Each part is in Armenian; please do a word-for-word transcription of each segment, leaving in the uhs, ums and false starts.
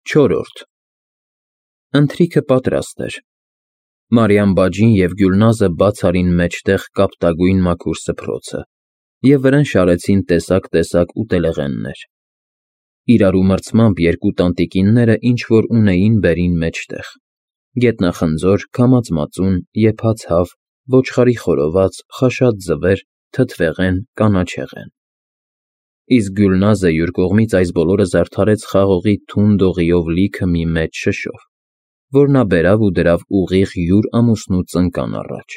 Չորրորդ Ընթրիքը պատրաստ էր։ Մարիամ բաջին և Գյուլնազը բաց արին մեջտեղ կապտագույն մաքուր սփռոցը և վրան շարեցին տեսակ֊տեսակ ուտելեղեններ։ Իրարու մրցմամբ երկու տանտիկինները ինչ֊որ ունեին բերին մեջտեղ՝ գետնախնձոր, քամած մածուն, եփած հավ, ոչխարի խորոված, խաշած ձվեր, թթվեղեն, կանաչեղեն։ Իսկ Գյուլնազը յուր կողմից այս բոլորը զարդարեց խաղողի թուն դողիով լիքը մի մեծ շշով, որ նա բերավ ու դրավ ուղիղ յուր ամուսնու ծնկան առաջ։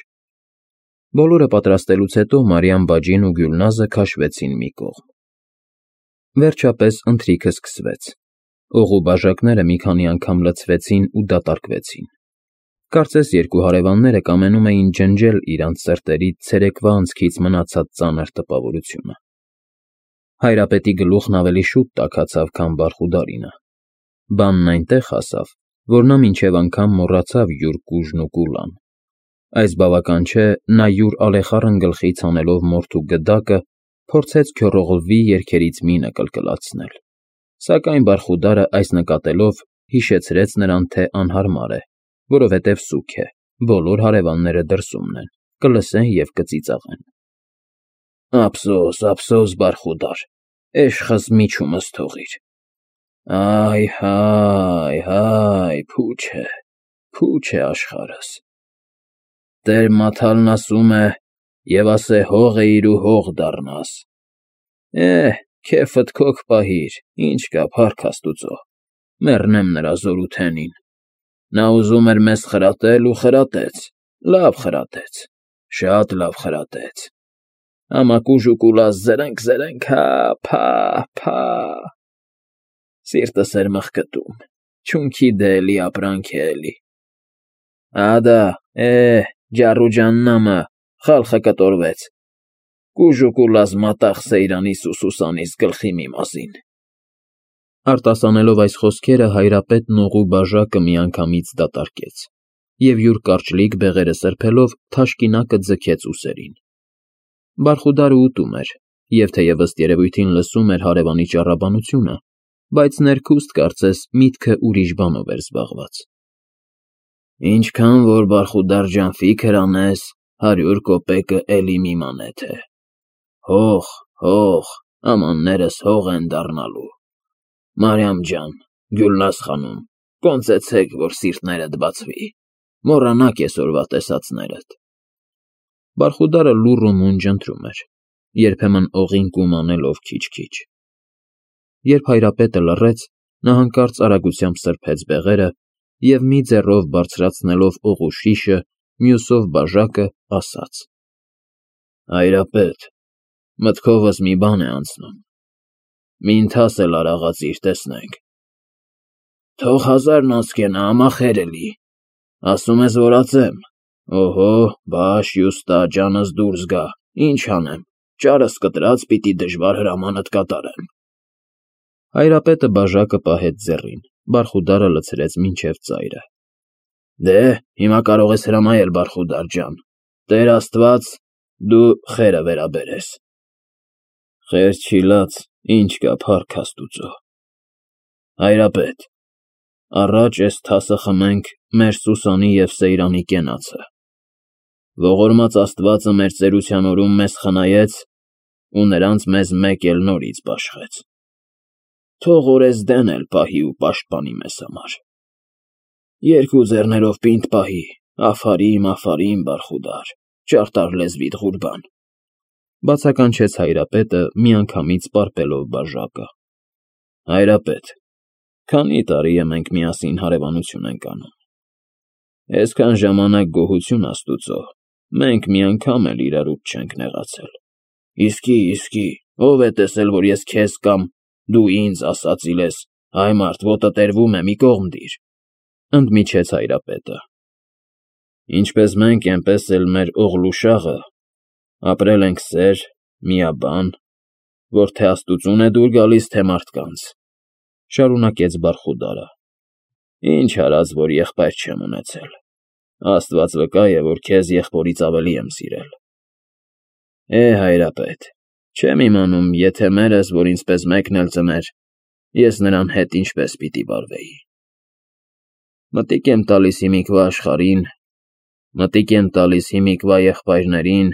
Բոլորը պատրաստելուց հետո Մարիամ բաջին ու Գյուլնազը քաշվեցին մի կողմ։ Վերջապես ընթրիքը սկսվեց։ Օղու բաժակները մի քանի անգամ լցվեցին ու դատարկվեցին։ Կարծես երկու հարևանները կամենում էին ջնջել իրանց սրտերից ցերեկվա անցքից մնացած ծանր տպավորությունը։ Հայրապետի գլուխն ավելի շուտ տաքացավ, քան Բարխուդարինը։ Բանն այնտեղ հասավ, որ նա մինչև անգամ մոռացավ յուր կուժն ու կուլան։ Այս բավական չէ, նա յուր ալեխառն գլխից հանելով մորթու գդակը, փորձեց քյոռողլվի երգերից մինը կլկլացնել, սակայն Բարխուդարը այս նկատելով հիշեցրեց նրան, թե անհարմար է, որովհետև սուգ է, բոլոր հարևանները դրսումն են, կլսեն և կծիծաղեն։ Ափսոս, ափսոս, Բարխուդար, էշխս միջումս թողիր։ Այ, հայ, հայ, փուչ է, փուչ է աշխարհս։ Տեր Մաթալն ասում է, և ասե հող էիր ու հող դառնաս։ Էհ, քեֆդ քոք պահիր, ինչ կա, փառք Աստուծո, մեռնեմ նրա զորութենին։ Նա ուզում էր մեզ խրատել ու խրատեց, լավ խրատեց, շատ լավ խրատեց։ Համակուժուկուլաս զրնք֊զրնք, հա, փա, փա։ Սիրտս էր մխկտում, չունքի դե էլի ապրանք է էլի։ Ադա, էհ, ջառուջաննամը, խալխը կտորվեց։ Կուժուկուլաս մատաղ Սեյրանիս ու Սուսանիս գլխի մի մազին։ Արտասանելով այս խոսքերը հայրապետն օղու բաժակը միանգամից դատարկեց և յուր կարճլիկ բեղերը սրբելով թաշկինակը ձգեց ուսերին։ Բարխուդարը ուտում էր և թեև ըստ երևույթին լսում էր հարևանի ճառաբանությունը, բայց ներքուստ կարծես միտքը ուրիշ բանով էր զբաղված։ Ինչքան որ Բարխուդար ջան ֆիքր անես, հարյուր կոպեկը էլի մի մանեթ է։ Հող, հող, ամաններս հող են դառնալու։ Մարիամ ջան, Գյուլնազ խանում, կոնծեցեք, որ սիրտներդ բացվի, մոռանա կեսօրվա տեսածներդ։ Բարխուդարը լուռ ու մունջ ընթրում էր, երբեմն օղին կում անելով քիչ֊քիչ։ Երբ հայրապետը լռեց, նա հանկարծ արագությամբ սրբեց բեղերը և մի ձեռով բարձրացնելով օղու շիշը, մյուսով բաժակը, ասաց. Հայրապետ, մտքովս մի բան է անցնում։ Մի ընթաս էլ արա աղացիր, տեսնենք։ Թող հազարն անցկենա, ամախեր էլի։ Ասում ես, որ ածեմ։ Օհո, բաշ յուստա, ջանս դուրս գա, ինչ անեմ, ճարս կտրած պիտի դժվար հրամանդ կատարեմ։ Հայրապետը բաժակը պահեց ձեռին, Բարխուդարը լցրեց մինչև ծայրը։ Դե, հիմա կարող ես հրամայել, Բարխուդար ջան, Տեր Աստված, դու խերը վերաբերես։ Խեր չիլած, ինչ կա, փառք Աստուծո։ Հայրապետ, առաջ էս թասը խմենք մեր Սուսանի և Սեյրանի կենացը։ Ողորմած Աստվածը մեր ծերության օրում մեզ խնայեց ու նրանց մեզ մեկ էլ նորից բաշխեց։ Թող օրեսդեն էլ պահի ու պաշտպանի մեզ համար։ Երկու ձեռներով պինդ պահի, Աֆարիմ, Աֆարիմ, Բարխուդար, ճարտար լեզվիդ Ղուրբան։ Բացականչեց հայրապետը, միանգամից պարպելով բաժակը։ Հայրապետ, քանի տարի է մենք միասին հարևանություն ենք անում։ Այսքան ժամանակ գոհություն Աստուծո, մենք մի անգամ էլ իրարուց չենք նեղացել։ Իսկի, իսկի, ով է տեսել, որ ես քեզ կամ դու ինձ ասածիլ ես, հայ մարդ, ոտը տերվում է, մի կողմ դիր, ընդմիջեց հայրապետը։ Ինչպես մենք, այնպես էլ մեր Օղլուշաղը ապրել ենք սեր, միաբան, որ թե Աստուծուն է դուր գալիս, թե մարդկանց, շարունակեց Բարխուդարը։ Ինչ արած, որ եղբայր չեմ ունեցել։ Աստված վկա է, որ քեզ եղբորից ավելի եմ սիրել։ Է, հայրապետ, չեմ իմանում, եթե մերս, որ ինձպես մեկն էլ ծներ, ես նրան հետ ինչպես պիտի վարվեի։ Մտիկ եմ տալիս հիմիկվա աշխարհին, մտիկ եմ տալիս հիմիկվա եղբայրներին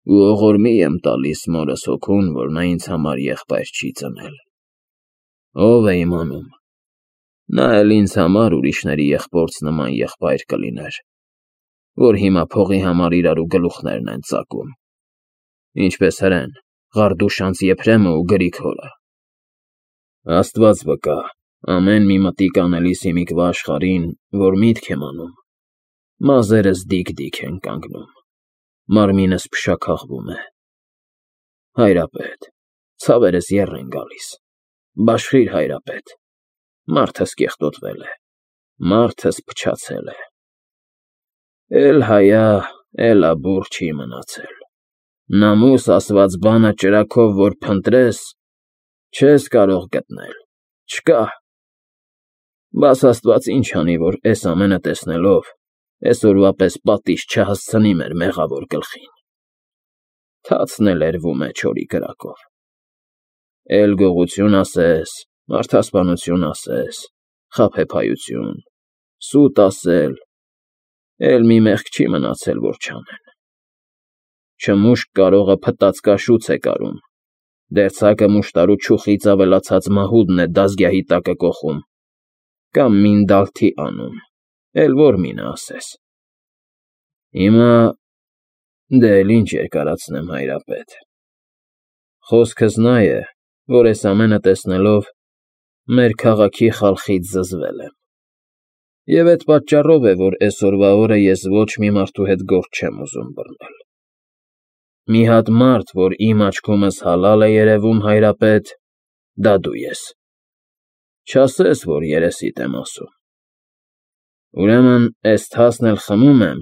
ու ողորմի եմ տալիս մորս հոգուն, որ նա ինձ համար եղբայր չի ծնել։ Ով է իմանում, նա էլ ինձ համար ուրիշների եղբորձ նման եղբայր կլիներ, որ հիմա փողի համար իրարու գլուխներն են ծակում, ինչպես հրեն, Ղարդուշանց Եփրեմը ու Գրիգորը։ Աստված վկա, ամեն մի մտիկ անելիս հիմիկվա աշխարհին, որ միտք եմ անում, մազերս դիկ-դիկ են կանգնում, մարմինս փշաքաղվում է։ Հայրապետ, ցավերս եռ են գալիս, բաշխիր, հայրապետ, մարդս կեղտոտվել է, մարդս փչացել է։ Էլ հայա, էլ աբուռ չի մնացել, նամուս ասված բանը ճրագով որ փնտրես, չես կարող գտնել, չկա։ Բաս Աստված ինչ անի, որ էս ամենը տեսնելով, էսօրվա պես պատիժ չհասցնի մեր մեղավոր գլխին։ Թացն էլ էրվում է չորի կրակով։ Էլ գողություն ասես, մարդասպանություն ասես, խաբեբայություն, սուտ ասել, էլ մի մեղք չի մնացել, որ չանեն։ Չմուշկ կարողը փտած կաշուց է կարում, դերձակը մուշտարու չուխից ավելացած մահուդն է դազգյահի տակը կոխում, կամ մինդալթի անում, էլ որ մինը ասես։ Հիմա դե էլ ինչ երկարացնեմ, հայրապետ։ Խոսքս նա է, որ էս ամենը տեսնելով մեր քաղաքի խալխից զզվել եմ։ Եվ էդ պատճառով է, որ էսօրվա օրը ես ոչ մի մարդու հետ գործ չեմ ուզում բռնել։ Մի հատ մարդ, որ իմ աչքումս հալալ է երևում, հայրապետ, դա դու ես։ Չասես, որ երեսիդ եմ ասում։ Ուրեմն էս թասն էլ խմում եմ,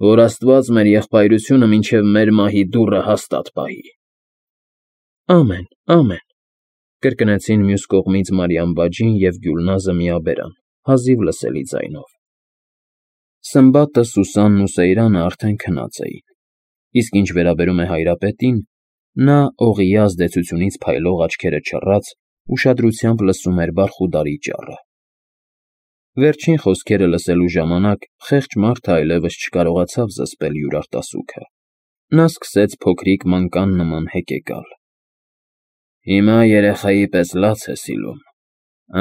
որ Աստված մեր եղբայրությունը մինչև մեր մահի դուռը հաստատ պահի։ Ամեն, ամեն, կրկնեցին մյուս կողմից Մարիամ բաջին և Գյուլնազը միաբերան, հազիվ լսելի ձայնով։ Սմբատը, Սուսանն ու Սեյրանը արդեն քնած էին, իսկ ինչ վերաբերում է հայրապետին, նա օղիի ազդեցությունից փայլող աչքերը չռած, ուշադրությամբ լսում էր բարխուդարի ճառը։ Վերջին խոսքերը լսելու ժամանակ խեղճ մարդը այլևս չկարողացավ զսպել յուր արտասուքը։ Նա սկսեց փոքրիկ մանկան նման հեկեկալ։ Հիմա երեխայի պես լաց է սիլում,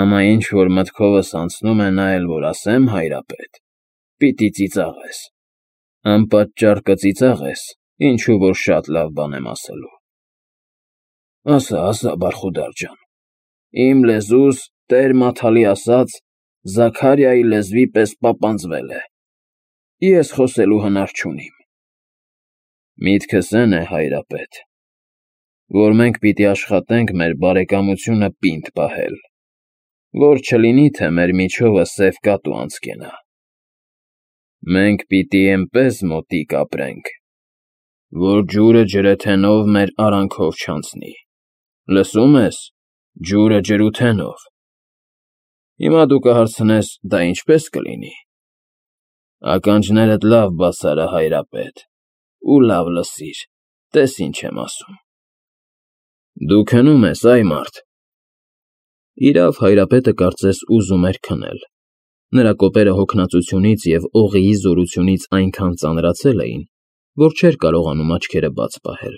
ամա ինչ որ մտքովս անցնում է նա էլ որ ասեմ, հայրապետ, պիտի ծիծաղես, անպատճառ կծիծաղես, ինչու որ շատ լավ բան եմ ասելու։ Ասա, ասա, Բարխուդար ջան, իմ լեզուս Տեր Մաթալի ասած Զաքարիայի լեզվի պես պապանձվել է, ես խոսելու հնար չունիմ։ Միտքս էն է, հայրապետ, որ մենք պիտի աշխատենք մեր բարեկամությունը պինդ պահել, որ չլինի, թե մեր միջովը սև կատու անցկենա։ Մենք պիտի էնպես մոտիկ ապրենք, որ ջուրը ջրեթենով մեր արանքով չանցնի, լսում ես, ջուրը ջրութենով։ Հիմա դու կհարցնես, դա ինչպես կլինի։ Ականջներդ լավ բաց արա, հայրապետ, ու լավ լսիր, տես ինչ եմ ասում։ Դու քնում ես, այ մարդ։ Իրավ, հայրապետը կարծես ուզում էր քնել։ Նրա կոպերը հոգնածությունից և օղիի զորությունից այնքան ծանրացել էին, որ չէր կարողանում աչքերը բաց պահել։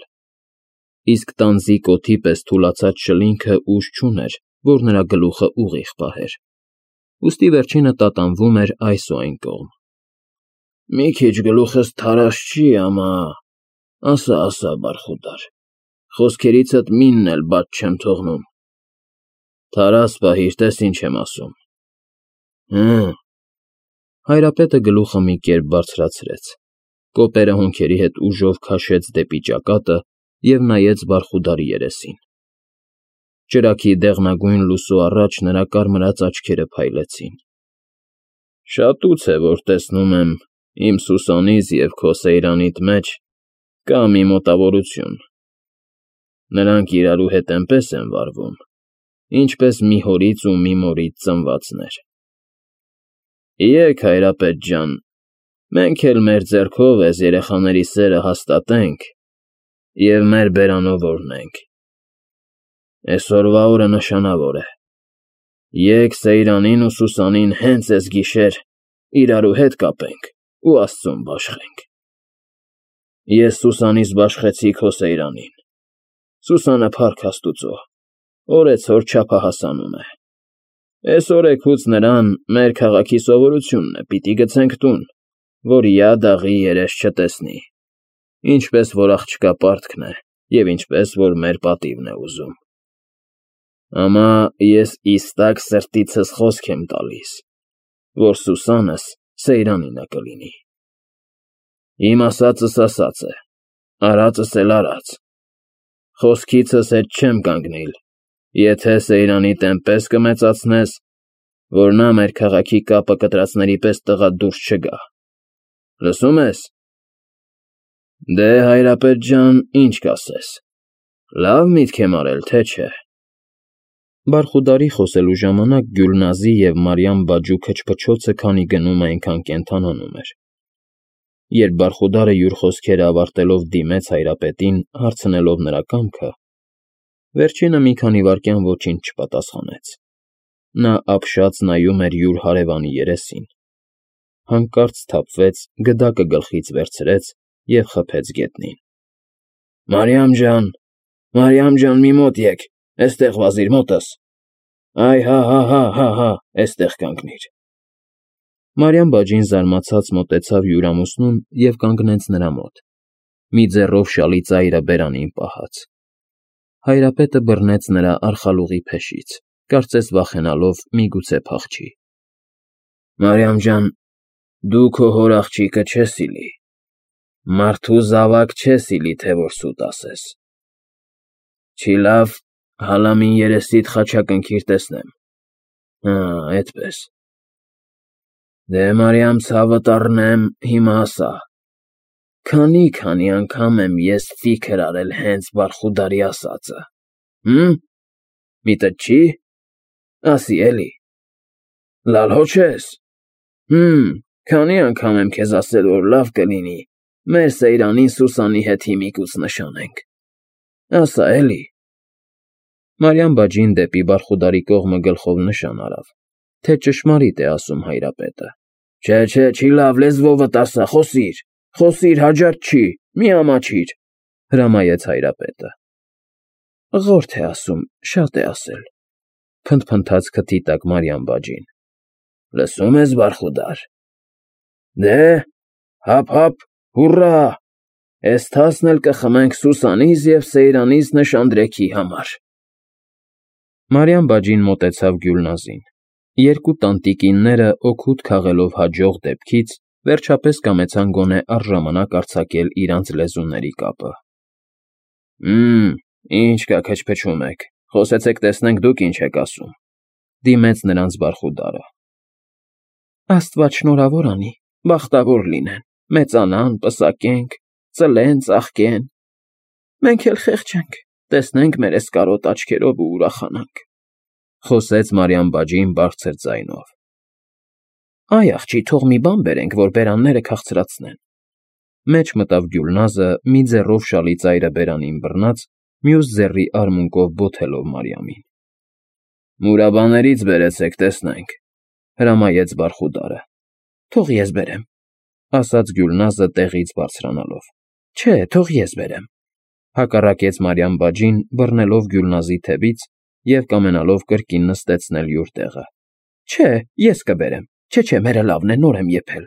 Իսկ տանձի կոթի պես թուլացած շլինքը ուժ չուներ, որ նրա գլուխը ուղիղ պահեր։ Ուստի վերջինը տատանվում էր այս ու այն կողմ։ Մի քիչ գլուխս թարաշ չի, ամա, ասա, ասա, Բարխուդար, խոսքերիցդ մինն էլ բաց չեմ թողնում։ Թարաս պահիր, տես ինչ եմ ասում։ Հը։ Հայրապետը գլուխը մի կերպ բարձրացրեց, կոպերը հոնքերի հետ ուժով քաշեց դեպի ճակատը և նայեց Բարխուդարի երեսին։ Ճրագի դեղնագույն լուսո առաջ նրա կարմրած աչքերը փայլեցին։ Շատուց է, որ տեսնում եմ իմ Սուսանից և քո Սեյրանիդ մեջ կա մի մոտավորություն։ Նրանք իրարու հետ էնպես են վարվում, ինչպես մի հորից ու մի մորից ծնվածներ։ Եկ, հայրապետ ջան, մենք էլ մեր ձեռքով էս երեխաների սերը հաստատենք և մեր բերանով օրհնենք։ Այսօրվա օրը նշանավոր է։ Եկ Սեյրանին ու Սուսանին հենց այս գիշեր իրարու հետ կապենք ու Աստծուն բաշխենք։ Ես Սուսանից բաշխեցի քո Սեյրանին։ Սուսանը փառք Աստուծո, օրեցօր չափահասանում է։ Այս օրեքուց նրան մեր քաղաքի սովորությունն է, պիտի գցենք տուն, որ յա դաղի երես չտեսնի, ինչպես որ աղջկա պարտքն է և ինչպես որ մեր պատիվն է ուզում։ Ամա ես իստակ սրտիցս խոսք եմ տալիս, որ Սուսանս Սեյրանինը կլինի։ Իմ ասածս ասած է, արածս էլ արած։ Խոսքիցս հետ չեմ կանգնիլ, եթե Սեյրանի տեմպես կմեծացնես, որ նա մեր քաղաքի կապը կտրածների պես տղա դուրս չգա։ Լսում ես։ Դե, Հայրապետ ջան, ինչ կասես, լավ միտք եմ արել, թե չէ։ Բարխուդարի խոսելու ժամանակ Գյուլնազի և Մարիամ֊բաջու քչփչոցը քանի գնում այնքան կենդանանում էր։ Երբ Բարխուդարը յուր խոսքերը ավարտելով դիմեց Հայրապետին, հարցնելով նրա կամքը, վերջինը մի քանի վայրկյան ոչինչ չպատասխանեց։ Նա ապշած նայում էր յուր հարևանի երեսին, հանկարծ սթափվեց, գդակը գլխից վերցրեց և խփեց գետնին։ Մարիամ ջան, Մարիամ ջան, մի մոտ եկ, էստեղ վազիր մոտս։ Այ հա հա հա հա հա, էստեղ կանգնիր։ Մարիամ֊բաջին զարմացած մոտեցավ յուր ամուսնուն և կանգնեց նրա մոտ, մի ձեռով շալի ծայրը բերանին պահած։ Հայրապետը բռնեց նրա արխալուղի փեշից, կարծես վախենալով միգուցե փախչի։ Մարիամ ջան, դու քո հոր աղջիկը չես սիրի, մարդու զավակ չես սիրի, թե որ սուտ ասես։ Չի լավ, հալա մին երեսիդ խաչակնքիր տեսնեմ։ Հա, էդպես։ Դե Մարիամ ցավդ առնեմ, հիմա ասա, քանի-քանի անգամ եմ ես ֆիքր արել հենց Բարխուդարի ասածը, հմ, միտդ չի, ասի էլի, լալհո չես, հմ, քանի անգամ եմ քեզ ասել, որ լավ կլինի մեր Սեյրանին Սուսանի հետ հիմիկուց նշանենք, ասա էլի։ Մարիամ֊բաջին դեպի Բարխուդարի կողմը գլխով նշան արավ, թե ճշմարիտ է ասում Հայրապետը։ Չէ, չէ, չի լավ, լեզվովդ ասա, խոսիր, խոսիր, հաջարդ չի, մի ամաչիր, հրամայեց Հայրապետը։ Ղորթ է ասում, շատ է ասել, փնթփնթաց քթի տակ Մարիամ֊բաջին։ Լսում ես, Բարխուդար։ Դե, հափ֊հափ, հուռա, էս թասն էլ կխմենք Սուսանից և Սեյրանից նշանդրեքի համար։ Մարիամ֊բաջին մոտեցավ Գյուլնազին։ Երկու տանտիկինները օգուտ քաղելով հաջող դեպքից, վերջապես կամեցան գոնե առժամանակ արձակել իրանց լեզուների կապը։ Մմ, ինչ կա քչփչում եք, խոսեցեք տեսնենք դուք ինչ եք ասում, դիմեց նրանց Բարխուդարը։ Աստված շնորհավոր անի, բախտավոր լինեն, մեծանան, պսակենք, ծլեն, ծաղկեն։ Մենք էլ խեղճենք, տեսնենք մեր էս կարոտ աչքերով ու ուրախանանք, խոսեց Մարիամ֊բաջին բարձր ձայնով։ Այ աղջի, թող մի բան բերենք, որ բերանները քաղցրացնեն։ Մեջ մտավ Գյուլնազը, մի ձեռով շալի ծայրը բերանին բռնած, մյուս ձեռի արմունկով բոթելով Մարիամին։ Մուրաբաներից բերեցեք, տեսնենք, հրամայեց Բարխուդարը։ Թող ես բերեմ, ասաց Գյուլնազը տեղից բարձրանալով։ Չէ, թող ես բերեմ, հակառակեց Մարիամ֊բաջին, բռնելով Գյուլնազի թևից և կամենալով կրկին նստեցնել յուր տեղը։ Չէ, ես կբերեմ, չէ, չէ, մերը լավն է, նոր եմ եփել,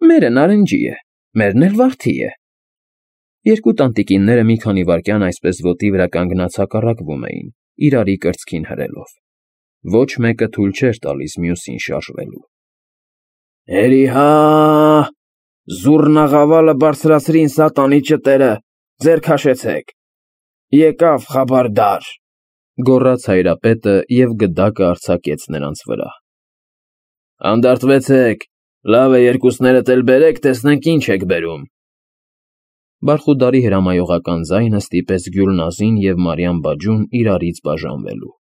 մերը նարնջի է, մերն էլ վարդի է։ Երկու տանտիկինները մի քանի վայրկյան այսպես ոտի վրա կանգնած հակառակվում էին, իրարի կրծքին հրելով։ Ոչ մեկը թույլ չէր տալիս մյուսին շարժվելու։ Էրի հա, զուռնաղավալը բարձրացրին սատանի ճտերը, ձեր քաշեցեք, եկավ խաբարդար, գոռաց Հայրապետը և գդակը արձակեց նրանց վրա։ Անդարտվեցեք, լավ է երկուսներդ էլ բերեք, տեսնենք ինչ եք բերում։ Բարխուդարի հրամայողական ձայնը ստիպեց Գյուլնազին և Մարիամ֊բաջուն իրարից բաժանվելու։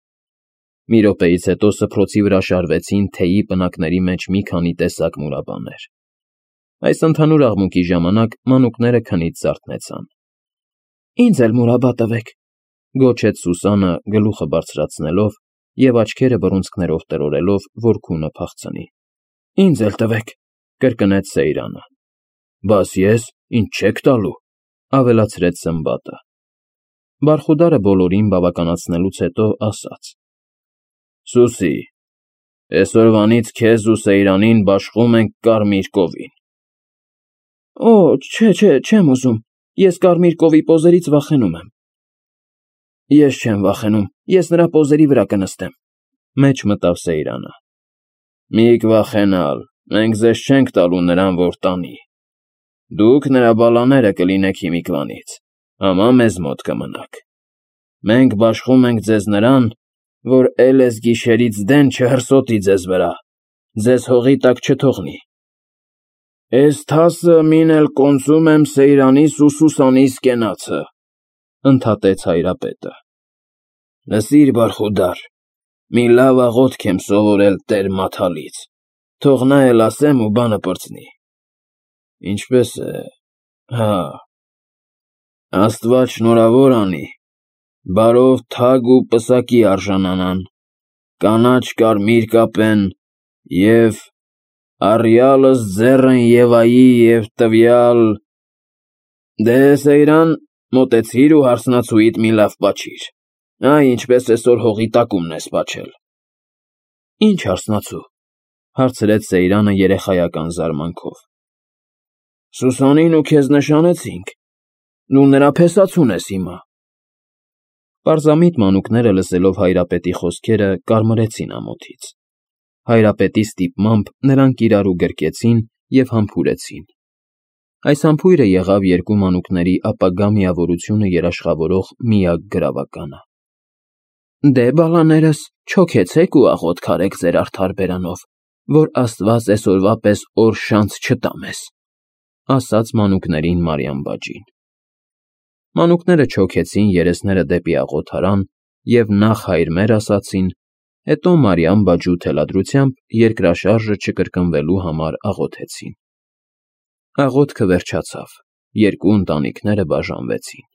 Մի րոպեից հետո սփռոցի վրա շարվեցին թեյի պնակների մեջ մի քանի տեսակ մուրաբաներ։ Այս ընդհանուր աղմուկի ժամանակ մանուկները քնից զարթնեցան։ Ինձ էլ մուրաբա տվեք, Գոչեց Սուսանը, գլուխը բարձրացնելով և աչքերը բռունցքներով տրորելով, որ քունը փախցնի։ Ինձ էլ տվեք, կրկնեց Սեյրանը։ Բաս ես, ինձ չեք տալու, ավելացրեց Սմբատը։ Բարխուդարը բոլորին բավականացնելուց հետո ասաց. Սուսի, այսօրվանից քեզ ու Սեյրանին բաշխում ենք կարմիր կովին։ Օ, չէ, չէ, չեմ ուզում, ես կարմիր կովի պոզերից վախենում եմ։ Ես չեմ վախենում, ես նրա պոզերի վրա կնստեմ, մեջ մտավ Սեյրանը։ Միք վախենալ, մենք ձեզ չենք տալու նրան, որ տանի։ Դուք նրա բալաները կլինեք հիմիկվանից, համա մեզ մոտ կմնաք։ Մենք բաշխում ենք ձեզ նրան, որ էլ էս գիշերից դեն չհրսոտի ձեզ վրա, ձեզ հողի տակ չթողնի։ Էս թասը մին էլ կոնծում եմ Սեյրանիս ու Սուսանիս կենացը, ընդհատեց հայրապետը։ Լսիր, Բարխուդար, մի լավ աղոթք եմ սովորել Տեր Մաթալից, թող նա էլ ասեմ ու բանը պրծնի։ Ինչպես է, հա, Աստված շնորհավոր անի, բարով թագ ու պսակի արժանանան, կանաչ կարմիր կապեն և առյալս ձեռն Եվայի և տվյալ… Դե, Սեյրան, մոտեցիր ու հարսնացուիդ մի լավ պաչիր, այ ինչպես այսօր հողի տակումն ես պաչել։ Ինչ հարսնացու, հարցրեց Սեյրանը երեխայական զարմանքով։ Սուսանին ու քեզ նշանեցինք, դու նրա փեսացուն ես հիմա։ Պարզամիտ մանուկները լսելով հայրապետի խոսքերը կարմրեցին ամոթից։ Հայրապետի ստիպմամբ նրանք իրարու գրկեցին և համբուրեցին։ Այս համբույրը եղավ երկու մանուկների ապագա միավորությունը երաշխավորող միակ գրավականը։ Դե, բալաներս, չոքեցեք ու աղոթք արեք ձեր արդար բերանով, որ Աստված այսօրվա պես օր շանց չտա մեզ, ասաց մանուկներին Մարիամ բաջին։ Մանուկները չոքեցին երեսները դեպի աղոթարան և նախ հայրմեր ասացին, հետո Մարիամ բաջու թելադրությամբ երկրաշարժը չկրկնվելու համար աղոթեցին։ Աղոթքը վերջացավ, երկու ընտանիքները բաժանվեցին։